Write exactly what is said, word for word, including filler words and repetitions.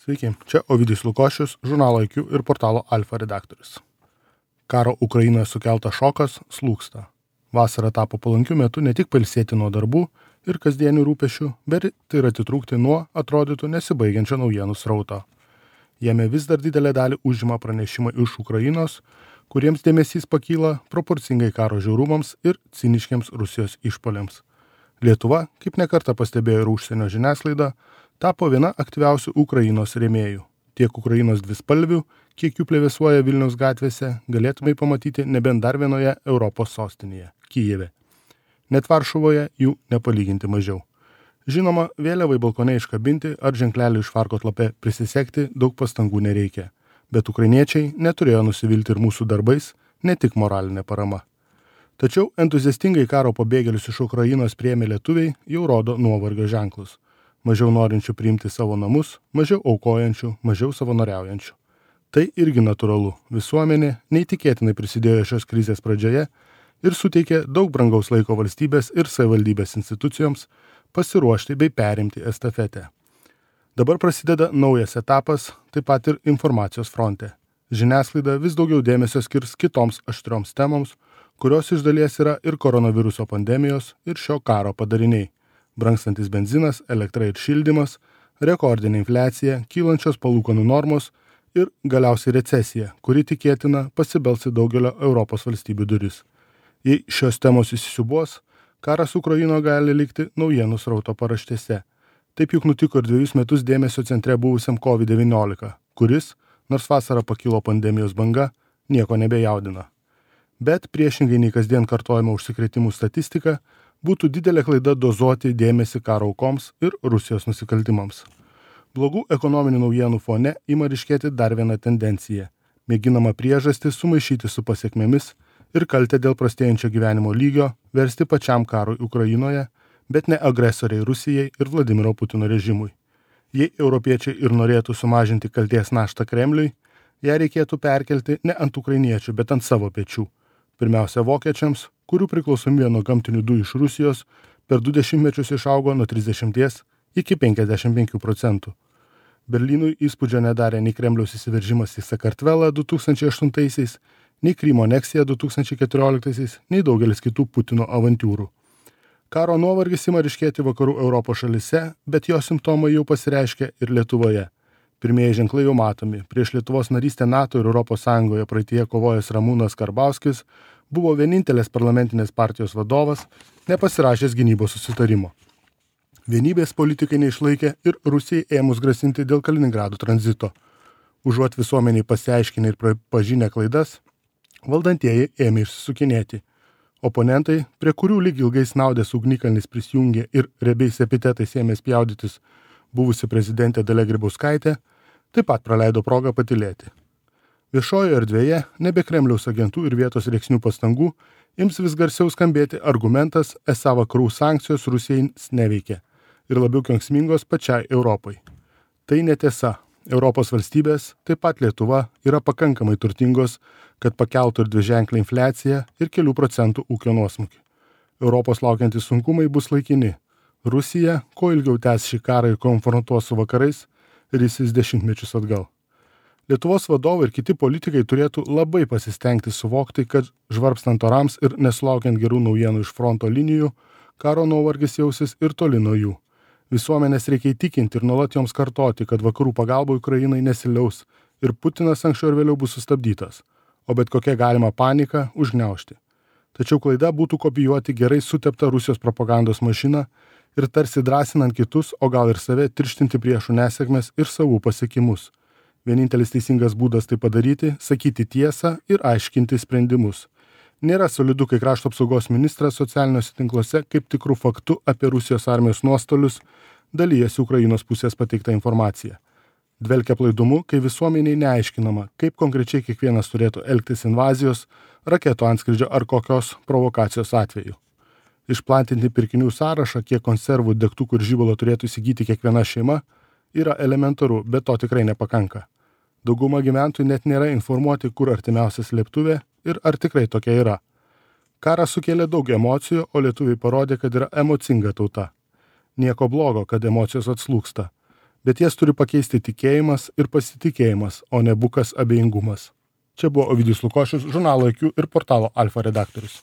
Sveiki, čia Ovidijus Lukošius, žurnalo I Q ir portalo Alfa redaktorius. Karo Ukrainoje sukeltas šokas slūgsta. Vasara tapo palankiu metu ne tik pailsėti nuo darbų ir kasdienių rūpešių, bet ir atitrūkti nuo, atrodytų, nesibaigiančio naujienų srauto. Jame vis dar didelę dalį užima pranešimai iš Ukrainos, kuriems dėmesys pakyla proporcingai karo žiaurumams ir ciniškiams Rusijos išpuoliams. Lietuva, kaip nekartą pastebėjo ir užsienio žiniasklaida, tapo viena aktyviausių Ukrainos rėmėjų. Tiek Ukrainos dvispalvių, kiek jų plevėsuoja Vilniaus gatvėse, galėtumai pamatyti nebent dar vienoje Europos sostinėje – Kijeve. Net Varšuvoje jų nepalyginti mažiau. Žinoma, vėliavai balkone iškabinti ar ženklelį iš farkos lape prisisegti daug pastangų nereikia. Bet ukrainiečiai neturėjo nusivilti ir mūsų darbais, ne tik moralinė parama. Tačiau entuziastingai karo pabėgėlius iš Ukrainos priėmė lietuviai jau rodo nuovargio ženklus. Mažiau norinčių priimti savo namus, mažiau aukojančių, mažiau savanoriaujančių. Tai irgi natūralu. Visuomenė neįtikėtinai prisidėjo šios krizės pradžioje ir suteikė daug brangaus laiko valstybės ir savivaldybės institucijoms pasiruošti bei perimti estafetę. Dabar prasideda naujas etapas, taip pat ir informacijos fronte. Žiniasklaida vis daugiau dėmesio skirs kitoms aštrioms temoms, kurios iš dalies yra ir koronaviruso pandemijos, ir šio karo padariniai. Brangstantis benzinas, elektra ir šildymas, rekordinė infliacija, kylančios palūkanų normos ir galiausiai recesija, kuri tikėtina pasibels į daugelio Europos valstybių duris. Jei šios temos įsisiūbuos, karas Ukrainoje gali likti naujienų srauto paraštėse. Taip juk nutiko ir dviejus metus dėmesio centre buvusiam covid devyniolika, kuris, nors vasarą pakilo pandemijos banga, nieko nebejaudina. Bet priešingai nei kasdien kartojama užsikrėtimų statistika, būtų didelė klaida dozuoti dėmesį karo aukoms ir Rusijos nusikaltimams. Blogų ekonominių naujienų fone ima ryškėti dar viena tendencija. Mėginama priežastį sumaišyti su pasiekmėmis ir kaltę dėl prastėjančio gyvenimo lygio versti pačiam karui Ukrainoje, bet ne agresoriai Rusijai ir Vladimiro Putino režimui. Jei europiečiai ir norėtų sumažinti kaltės naštą Kremliui, ją reikėtų perkelti ne ant ukrainiečių, bet ant savo pečių. Pirmiausia vokiečiams, kurių priklausomybė nuo gamtinių dujų iš Rusijos per du dešimtmečius išaugo nuo trisdešimties iki penkiasdešimt penkių procentų. Berlynui įspūdžio nedarė nei Kremliaus įsiveržimas į Sakartvelą du tūkstančiai aštuntaisiais, nei Krymo aneksija du tūkstančiai keturioliktaisiais, nei daugelis kitų Putino avantūrų. Karo nuovargis ima ryškėti vakarų Europos šalise, bet jo simptomai jau pasireiškia ir Lietuvoje. Pirmieji ženklai jau matomi. Prieš Lietuvos narystę NATO ir Europos Sąjungoje praeityje kovojęs Ramūnas Karbauskis buvo vienintelės parlamentinės partijos vadovas, nepasirašęs gynybos susitarimo. Vienybės politikai neišlaikė ir Rusijai ėmus grasinti dėl Kaliningrado tranzito. Užuot visuomeniai pasiaiškinę ir pažinę klaidas, valdantieji ėmė išsisukinėti. Oponentai, prie kurių lyg ilgai snaudęs ugnikalnis prisijungė ir riebiais epitetais ėmė spjaudytis buvusi prezidentė Dalia Grybauskaitė, taip pat praleido progą patylėti. Viešojoje erdvėje, nebe Kremliaus agentų ir vietos rėksnių pastangų, ims vis garsiau skambėti argumentas, esą vakarų sankcijos Rusijai neveikia ir labiau kenksmingos pačiai Europai. Tai netiesa. Europos valstybės, taip pat Lietuva, yra pakankamai turtingos, kad pakeltų ir dviženklę infliaciją ir kelių procentų ūkio nuosmukį. Europos laukiantys sunkumai bus laikini. Rusija, kuo ilgiau tęs šį karą ir konfrontuos su vakarais, risis dešimtmečius atgal. Lietuvos vadovai ir kiti politikai turėtų labai pasistengti suvokti, kad žvarbstant orams ir nesulaukiant gerų naujienų iš fronto linijų, karo nuovargis jausis ir toli nuo jų. Visuomenės reikia įtikinti ir nuolat joms kartoti, kad vakarų pagalba Ukrainai nesiliaus ir Putinas anksčiau ir vėliau bus sustabdytas, o bet kokia galima panika užgniaužti. Tačiau klaida būtų kopijuoti gerai suteptą Rusijos propagandos mašiną ir tarsi drąsinant kitus, o gal ir save tirštinti priešų nesėkmes ir savų pasiekimus. Vienintelis teisingas būdas tai padaryti – sakyti tiesą ir aiškinti sprendimus. Nėra solidu, kai krašto apsaugos ministras socialiniuose tinkluose kaip tikrų faktų apie Rusijos armijos nuostolius dalyjasi Ukrainos pusės pateiktą informaciją. Dvelkia plaidumu, kai visuomeniai neaiškinama, kaip konkrečiai kiekvienas turėtų elgtis invazijos, raketų antskridžio ar kokios provokacijos atveju. Išplatinti pirkinių sąrašą, kiek konservų, degtukų ir žibalo turėtų įsigyti kiekviena šeima, yra elementaru, bet to tikrai nepakanka. Dauguma gyventojų net nėra informuoti, kur artimiausia slėptuvė ir ar tikrai tokia yra. Karas sukėlė daug emocijų, o lietuviai parodė, kad yra emocinga tauta. Nieko blogo, kad emocijos atslūgsta. bet jas turi pakeisti tikėjimas ir pasitikėjimas, o ne bukas abejingumas. Čia buvo Ovidijus Lukošius, žurnalo I Q ir portalo Alfa redaktorius.